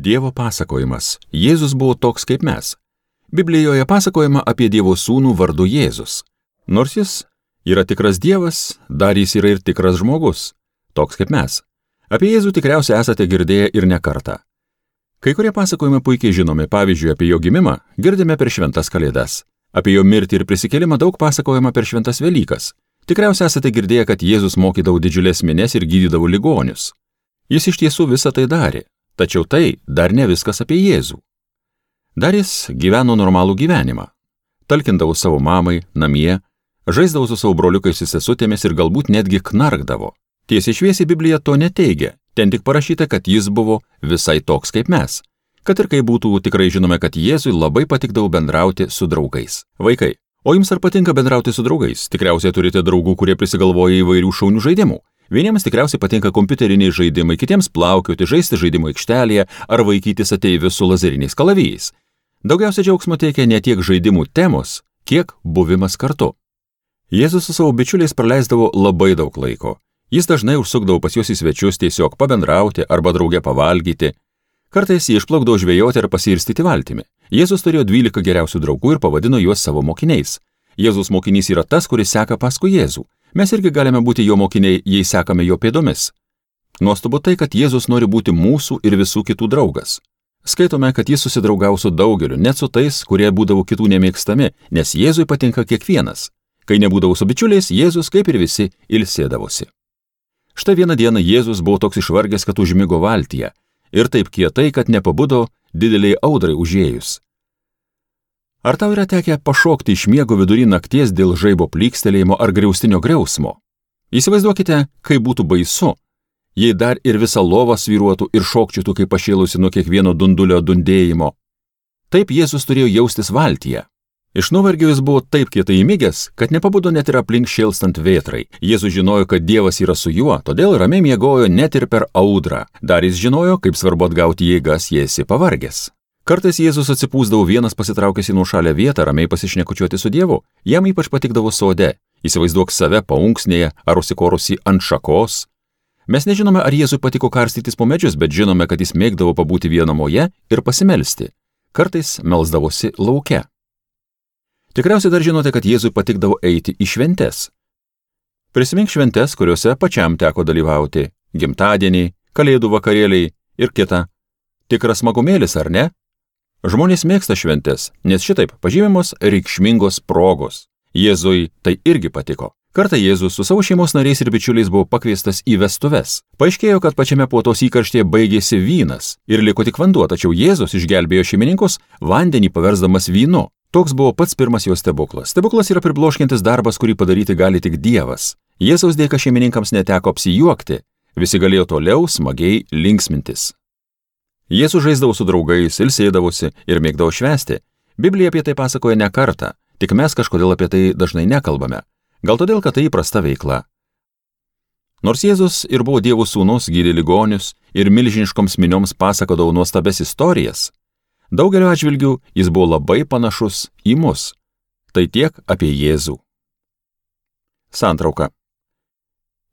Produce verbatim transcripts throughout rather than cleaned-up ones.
Dievo pasakojimas. Jėzus buvo toks kaip mes. Biblijoje pasakojama apie Dievo sūnų vardu Jėzus. Nors jis yra tikras Dievas, dar jis yra ir tikras žmogus, toks kaip mes. Apie Jėzų tikriausiai esate girdėję ir ne kartą. Kai kurie pasakojimai puikiai žinomi, pavyzdžiui, apie jo gimimą girdime per šventas kalėdas. Apie jo mirtį ir prisikėlimą daug pasakojama per šventas Velykas. Tikriausiai esate girdėję, kad Jėzus mokydavo didžiulės minias ir gydydavo ligonius. Jis iš tiesų visą tai darė, tačiau tai dar ne viskas apie Jėzų. Dar jis gyveno normalų gyvenimą. Talkindavo savo mamai, namie, žaisdavo su savo broliukais ir sesutėmis ir galbūt netgi knarkdavo. Tiesiai šviesiai Biblija to neteigia, ten tik parašyta, kad jis buvo visai toks kaip mes. Kad ir kaip būtų, tikrai žinome, kad Jėzui labai patikdavo bendrauti su draugais. Vaikai, o jums ar patinka bendrauti su draugais? Tikriausiai turite draugų, kurie prisigalvoja įvairių šaunių žaidimų. Vieniems tikriausiai patinka kompiuteriniai žaidimai, kitiems plaukioti, žaisti žaidimų aikštelėje ar vaikytis ateivius su lazeriniais kalavijais. Daugiausia džiaugsmo teikia ne tiek žaidimų temos, kiek buvimas kartu. Jėzus su savo bičiuliais praleisdavo labai daug laiko. Jis dažnai užsukdavo pas juos į svečius tiesiog pabendrauti arba drauge pavalgyti. Kartais jie išplaukdavo žvejoti ar pasiirstyti valtimi. Jėzus turėjo dvylika geriausių draugų ir pavadino juos savo mokiniais. Jėzus mokinys yra tas, kuris seka paskui Jėzų. Mes irgi galime būti jo mokiniai, jei sekame jo pėdomis. Nuostabu tai, kad Jėzus nori būti mūsų ir visų kitų draugas. Skaitome, kad jis susidraugavo su daugeliu, net su tais, kurie būdavo kitų nemėgstami, nes Jėzui patinka kiekvienas. Kai nebūdavo su bičiuliais, Jėzus, kaip ir visi, ilsėdavosi. Štai vieną dieną Jėzus buvo toks išvargęs, kad užmigo valtyje, ir taip kietai, kad nepabudo dideliai audrai užėjus. Ar tau yra tekę pašokti iš miego vidury nakties dėl žaibo plykstelėjimo ar griaustinio griausmo? Įsivaizduokite, kaip būtų baisu, jei dar ir visa lova svyruotų ir šokčiutų kaip pašėlusi nuo kiekvieno dundulio dundėjimo. Taip Jėzus turėjo jaustis valtyje. Iš nuovargio jis buvo taip kietai įmigęs, kad nepabudo net ir aplink šėlstant vėtrai. Jėzus žinojo, kad Dievas yra su juo, todėl ramiai miegojo net ir per audrą. Dar jis žinojo, kaip svarbu atgauti jėgas, jei esi pavargęs. Kartais Jėzus atsipūsdavo vienas pasitraukęs į nuošalę vietą ramiai pasišnekučiuoti su Dievu. Jam ypač patikdavo sode. Įsivaizduok save paunksnėje ar užsikorusi ant šakos. Mes nežinome, ar Jėzui patiko karstytis po medžius, bet žinome, kad jis mėgdavo pabūti vienumoje ir pasimelsti. Kartais melsdavosi lauke. Tikriausiai dar žinote, kad Jėzui patikdavo eiti į šventes. Prisimink šventes, kuriuose pačiam teko dalyvauti. Gimtadieniai, kalėdų vakarėliai ir kita. Tikras smagumėlis, ar ne? Žmonės mėgsta šventes, nes šitaip pažymimos reikšmingos progos. Jėzui tai irgi patiko. Kartą Jėzus su savo šeimos nariais ir bičiuliais buvo pakviestas į vestuves. Paaiškėjo, kad pačiame puotos įkarštyje baigėsi vynas ir liko tik vanduo, tačiau Jėzus išgelbėjo šeimininkus vandenį paversdamas vynu. Toks buvo pats pirmas jo stebuklas. Stebuklas yra pribloškiantis darbas, kurį padaryti gali tik Dievas. Jėzaus dėka šeimininkams neteko apsijuokti, visi galėjo toliau smagiai linksmintis. Jėzus žaisdavo su draugais, ilsėdavosi ir mėgdavo švęsti. Biblija apie tai pasakoja ne kartą, tik mes kažkodėl apie tai dažnai nekalbame. Gal todėl, kad tai įprasta veikla. Nors Jėzus ir buvo Dievo sūnus, gydė ligonius ir milžiniškoms minioms pasakodavo nuostabes istorijas, daugelio atžvilgių jis buvo labai panašus į mus. Tai tiek apie Jėzų. Santrauka.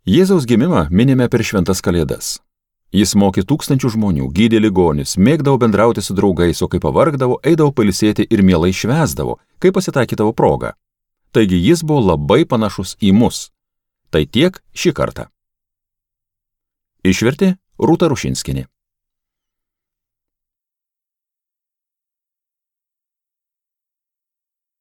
Jėzaus gimimą minime per šventas kalėdas. Jis mokė tūkstančių žmonių, gydė ligonius, mėgdavo bendrauti su draugais, o kai pavargdavo, eidavo pailsėti ir mielai švęsdavo, kai pasitaikydavo progą. Taigi jis buvo labai panašus į mus. Tai tiek šį kartą. Išvertė Rūta Rušinskienė.